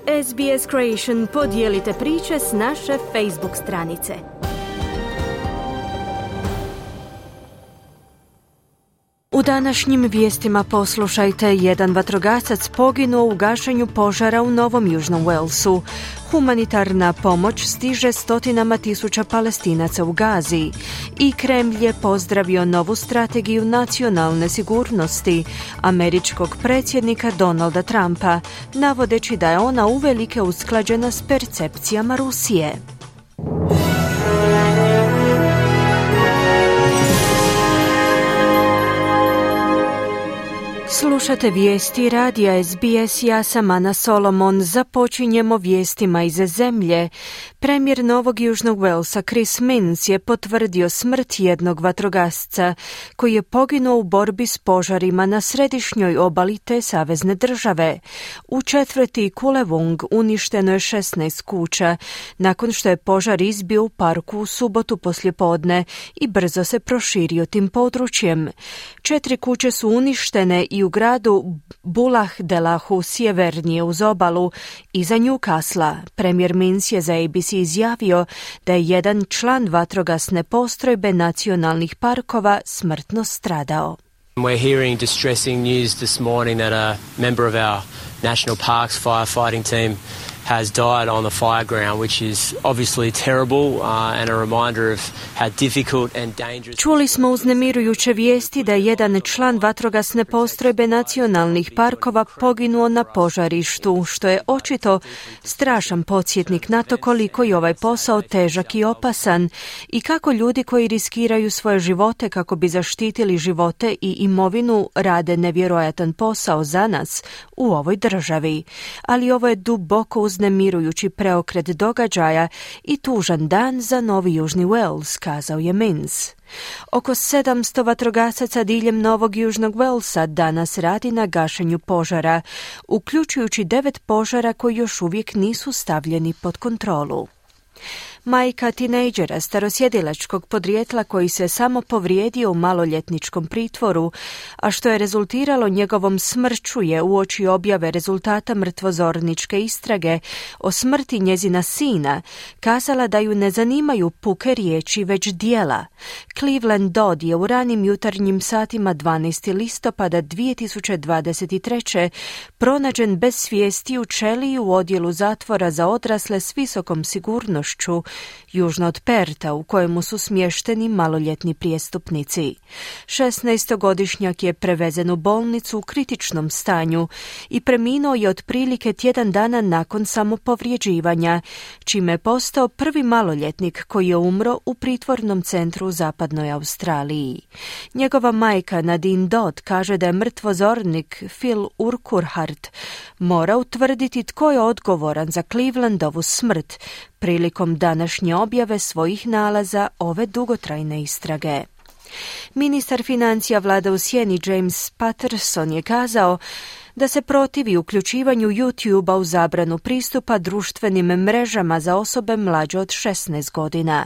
SBS Creation, podijelite priče s naše Facebook stranice. U današnjim vijestima poslušajte: jedan vatrogasac poginuo u gašenju požara u Novom Južnom Walesu. Humanitarna pomoć stiže stotinama tisuća Palestinaca u Gazi. I Kremlj je pozdravio novu strategiju nacionalne sigurnosti američkog predsjednika Donalda Trumpa, navodeći da je ona uvelike usklađena s percepcijama Rusije. Slušate vijesti radija SBS, ja sam Ana Solomon. Započinjemo vijestima iz zemlje. Premijer Novog Južnog Walesa Chris Minns je potvrdio smrt jednog vatrogasca koji je poginuo u borbi s požarima na središnjoj obali te savezne države. U četvrti Kulewong uništeno je 16 kuća nakon što je požar izbio u parku u subotu poslijepodne i brzo se proširio tim područjem. 4 kuće su uništene i u gradu Bulahdelahu sjevernije uz obalu iza Newcastle. Premijer Minns je za ABC izjavio da je jedan član vatrogasne postrojbe nacionalnih parkova smrtno stradao. We're hearing distressing news this morning that a member of our National Parks firefighting team has died on the fire ground, which is obviously terrible and a reminder of how difficult and dangerous. Čuli smo uznemirujuće vijesti da je jedan član vatrogasne postrojbe nacionalnih parkova poginuo na požarištu, što je očito strašan podsjetnik na to koliko je ovaj posao težak i opasan i kako ljudi koji riskiraju svoje živote kako bi zaštitili živote i imovinu rade nevjerojatan posao za nas u ovoj državi. Ali ovo je duboko uznemirujući preokret događaja i tužan dan za Novi Južni Wales, kazao je Minns. Oko 700 vatrogasaca diljem Novog Južnog Walesa danas radi na gašenju požara, uključujući 9 požara koji još uvijek nisu stavljeni pod kontrolu. Majka tinejdžera starosjedilačkog podrijetla koji se samo povrijedio u maloljetničkom pritvoru, a što je rezultiralo njegovom smrću, je uoči objave rezultata mrtvozorničke istrage o smrti njezina sina kazala da ju ne zanimaju puke riječi već djela. Cleveland Dodd je u ranim jutarnjim satima 12. listopada 2023. pronađen bez svijesti u ćeliji u odjelu zatvora za odrasle s visokom sigurnošću južno od Perta, u kojemu su smješteni maloljetni prijestupnici. 16-godišnjak je prevezen u bolnicu u kritičnom stanju i preminuo je otprilike tjedan dana nakon samopovrijeđivanja, čime je postao prvi maloljetnik koji je umro u pritvornom centru u zapadnoj Australiji. Njegova majka Nadine Dodd kaže da je mrtvozornik Phil Urquhart mora utvrditi tko je odgovoran za Clevelandovu smrt prilikom današnje objave svojih nalaza ove dugotrajne istrage. Ministar financija vlada u sjeni James Patterson je kazao da se protivi uključivanju YouTube-a u zabranu pristupa društvenim mrežama za osobe mlađe od 16 godina.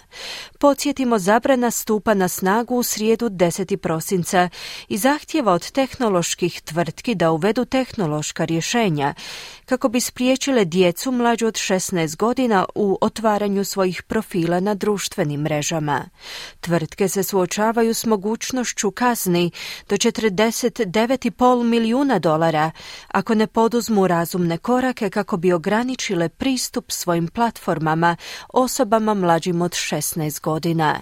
Podsjetimo, zabrana stupa na snagu u srijedu 10. prosinca i zahtjeva od tehnoloških tvrtki da uvedu tehnološka rješenja kako bi spriječile djecu mlađu od 16 godina u otvaranju svojih profila na društvenim mrežama. Tvrtke se suočavaju s mogućnošću kazni do $49,5 milijuna ako ne poduzmu razumne korake kako bi ograničile pristup svojim platformama osobama mlađim od 16 godina.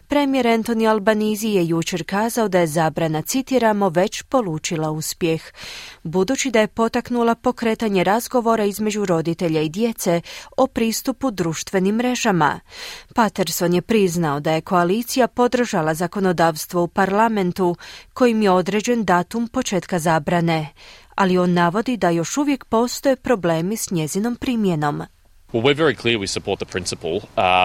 Premijer Anthony Albanese je jučer kazao da je zabrana, citiramo, već polučila uspjeh, budući da je potaknula pokretanje razgovora između roditelja i djece o pristupu društvenim mrežama. Patterson je priznao da je koalicija podržala zakonodavstvo u parlamentu kojim je određen datum početka zabrane, ali on navodi da još uvijek postoje problemi s njezinom primjenom. Well, we're very clear we support the principle,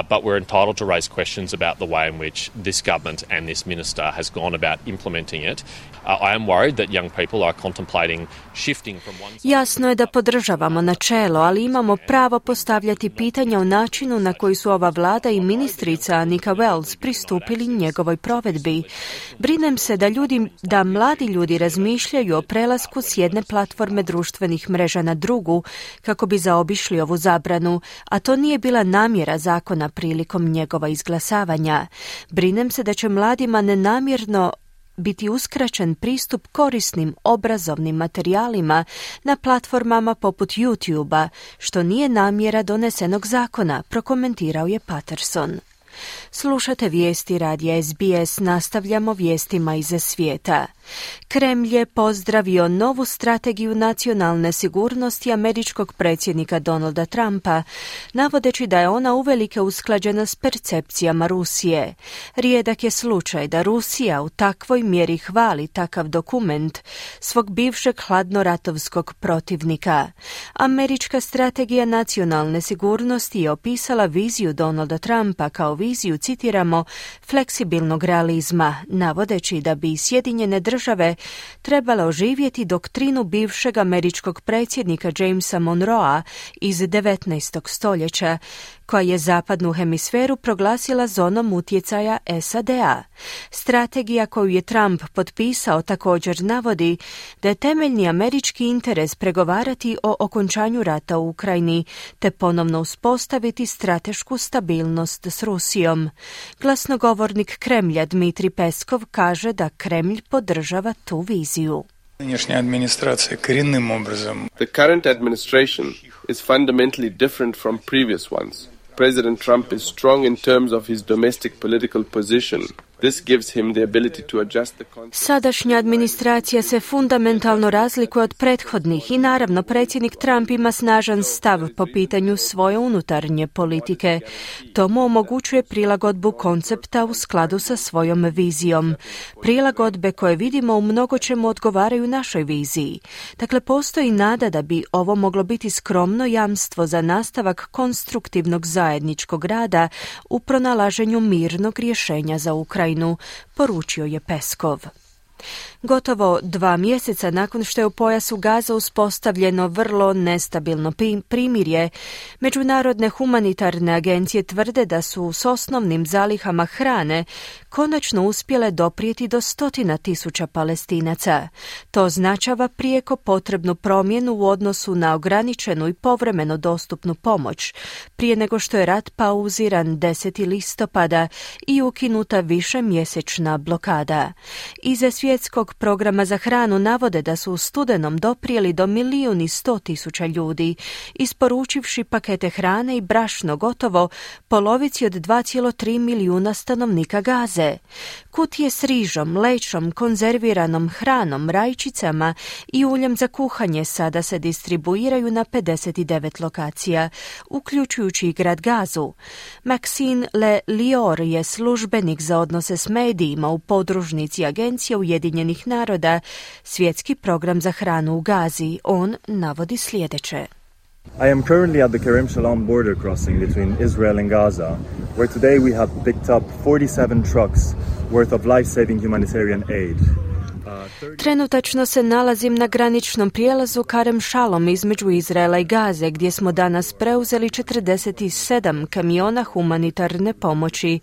but we're entitled to raise questions about the way in which this government and this minister has gone about implementing it. I am worried that young people are contemplating shifting from one side. Jasno je da podržavamo načelo, ali imamo pravo postavljati pitanja o načinu na koji su ova vlada i ministrica Annika Wells pristupili njegovoj provedbi. Brinem se da mladi ljudi razmišljaju o prelasku s jedne platforme društvenih mreža na drugu kako bi zaobišli ovu zabranu, a to nije bila namjera zakona prilikom njegova izglasavanja. Brinem se da će mladima nenamjerno biti uskraćen pristup korisnim obrazovnim materijalima na platformama poput YouTube-a, što nije namjera donesenog zakona, prokomentirao je Patterson. Slušate vijesti radija SBS, nastavljamo vijestima iz svijeta. Kremlj je pozdravio novu strategiju nacionalne sigurnosti američkog predsjednika Donalda Trumpa, navodeći da je ona uvelike usklađena s percepcijama Rusije. Rijedak je slučaj da Rusija u takvoj mjeri hvali takav dokument svog bivšeg hladnoratovskog protivnika. Američka strategija nacionalne sigurnosti je opisala viziju Donalda Trumpa kao viziju, citiramo, fleksibilnog realizma, navodeći da bi Sjedinjene države trebale oživjeti doktrinu bivšeg američkog predsjednika Jamesa Monroea iz 19. stoljeća, koja je zapadnu hemisferu proglasila zonom utjecaja SAD-a. Strategija koju je Trump potpisao također navodi da je temeljni američki interes pregovarati o okončanju rata u Ukrajini te ponovno uspostaviti stratešku stabilnost s Rusijom. Glasnogovornik Kremlja Dmitri Peskov kaže da Kremlj podržava tu viziju. The current administration is fundamentally different from previous ones. President Trump is strong in terms of his domestic political position. This gives him the ability to adjust the concept. Sadašnja administracija se fundamentalno razlikuje od prethodnih i naravno predsjednik Trump ima snažan stav po pitanju svoje unutarnje politike. To mu omogućuje prilagodbu koncepta u skladu sa svojom vizijom. Prilagodbe koje vidimo u mnogočemu odgovaraju našoj viziji. Dakle, postoji nada da bi ovo moglo biti skromno jamstvo za nastavak konstruktivnog zajedničkog rada u pronalaženju mirnog rješenja za Ukrajinu, poručio je Peskov. Gotovo 2 mjeseca nakon što je u pojasu Gaza uspostavljeno vrlo nestabilno primirje, međunarodne humanitarne agencije tvrde da su s osnovnim zalihama hrane konačno uspjele doprijeti do 100.000 Palestinaca. To označava prijeko potrebnu promjenu u odnosu na ograničenu i povremeno dostupnu pomoć, prije nego što je rat pauziran 10. listopada i ukinuta višemjesečna blokada. Iza svjetskog programa za hranu navode da su u studenom doprijeli do 1.100.000 ljudi, isporučivši pakete hrane i brašno gotovo polovici od 2,3 milijuna stanovnika Gaze. Kutije s rižom, lećom, konzerviranom hranom, rajčicama i uljem za kuhanje sada se distribuiraju na 59 lokacija, uključujući i grad Gazu. Maxine Le Lior je službenik za odnose s medijima u podružnici Agencije Ujedinjenih naroda, svjetski program za hranu u Gazi. On navodi sljedeće. I am currently at the Kerem Shalom border crossing between Israel and Gaza, where today we have picked up 47 trucks worth of life-saving humanitarian aid. Trenutačno se nalazim na graničnom prijelazu Kerem Shalom između Izraela i Gaze, gdje smo danas preuzeli 47 kamiona humanitarne pomoći.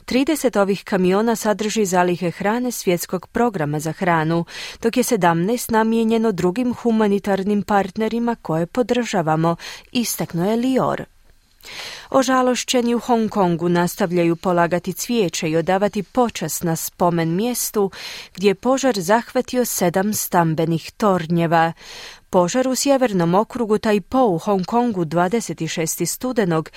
30 ovih kamiona sadrži zalihe hrane svjetskog programa za hranu, dok je 17 namijenjeno drugim humanitarnim partnerima koje podržavamo, istaknuo je Lior. Ožalošćeni u Hong Kongu nastavljaju polagati cvijeće i odavati počast na spomen mjestu gdje je požar zahvatio 7 stambenih tornjeva. Požar u sjevernom okrugu Tai Po u Hong Kongu 26. studenog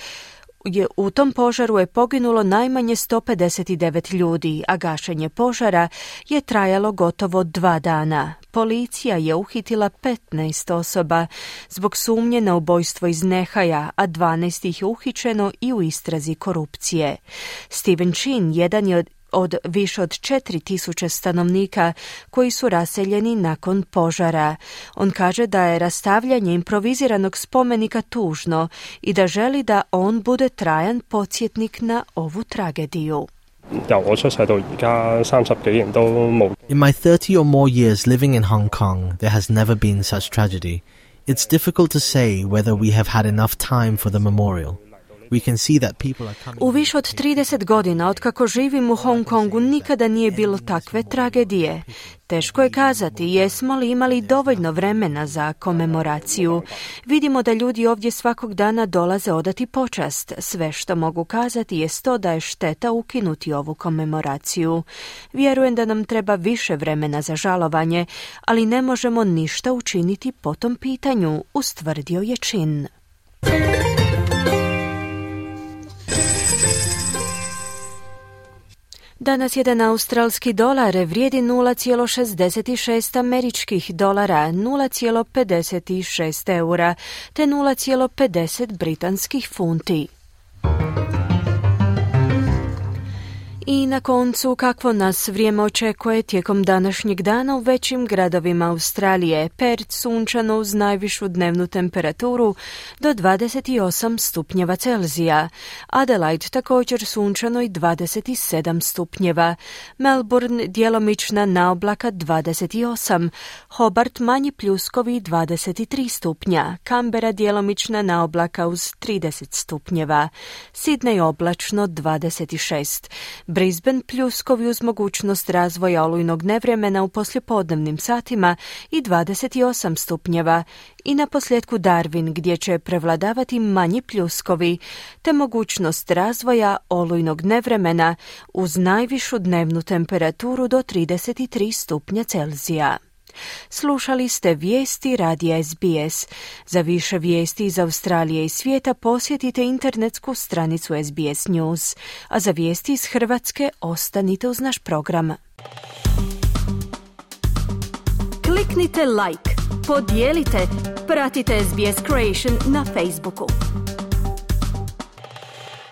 u tom požaru je poginulo najmanje 159 ljudi, a gašenje požara je trajalo gotovo 2 dana. Policija je uhitila 15 osoba zbog sumnje na ubojstvo iz nehaja, a 12 ih je uhićeno i u istrazi korupcije. Steven Chin, jedan je od više od 4000 stanovnika koji su raseljeni nakon požara. On kaže da je rastavljanje improviziranog spomenika tužno i da želi da on bude trajan podsjetnik na ovu tragediju. In my 30 or more years living in Hong Kong, there has never been such tragedy. It's difficult to say whether we have had enough time for the memorial. We can see that people are coming. U više od 30 godina otkako živim u Hong Kongu nikada nije bilo takve tragedije. Teško je kazati jesmo li imali dovoljno vremena za komemoraciju. Vidimo da ljudi ovdje svakog dana dolaze odati počast. Sve što mogu kazati je to da je šteta ukinuti ovu komemoraciju. Vjerujem da nam treba više vremena za žalovanje, ali ne možemo ništa učiniti po tom pitanju, ustvrdio je Chin. Danas jedan australski dolar vrijedi 0,66 američkih dolara, 0,56 eura te 0,50 britanskih funti. I na koncu, kakvo nas vrijeme očekuje tijekom današnjeg dana u većim gradovima Australije. Perth sunčano uz najvišu dnevnu temperaturu do 28 stupnjeva Celzija. Adelaide također sunčano i 27 stupnjeva. Melbourne djelomična naoblaka 28. Hobart manji pljuskovi 23 stupnja. Canberra djelomična naoblaka uz 30 stupnjeva. Sydney oblačno 26. Brisbane pljuskovi uz mogućnost razvoja olujnog nevremena u poslijepodnevnim satima i 28 stupnjeva. I na posljedku Darwin gdje će prevladavati manji pljuskovi te mogućnost razvoja olujnog nevremena uz najvišu dnevnu temperaturu do 33 stupnja Celzija. Slušali ste vijesti radija SBS. Za više vijesti iz Australije i svijeta posjetite internetsku stranicu SBS News, a za vijesti iz Hrvatske ostanite uz naš program. Kliknite like, podijelite, pratite SBS Creation na Facebooku.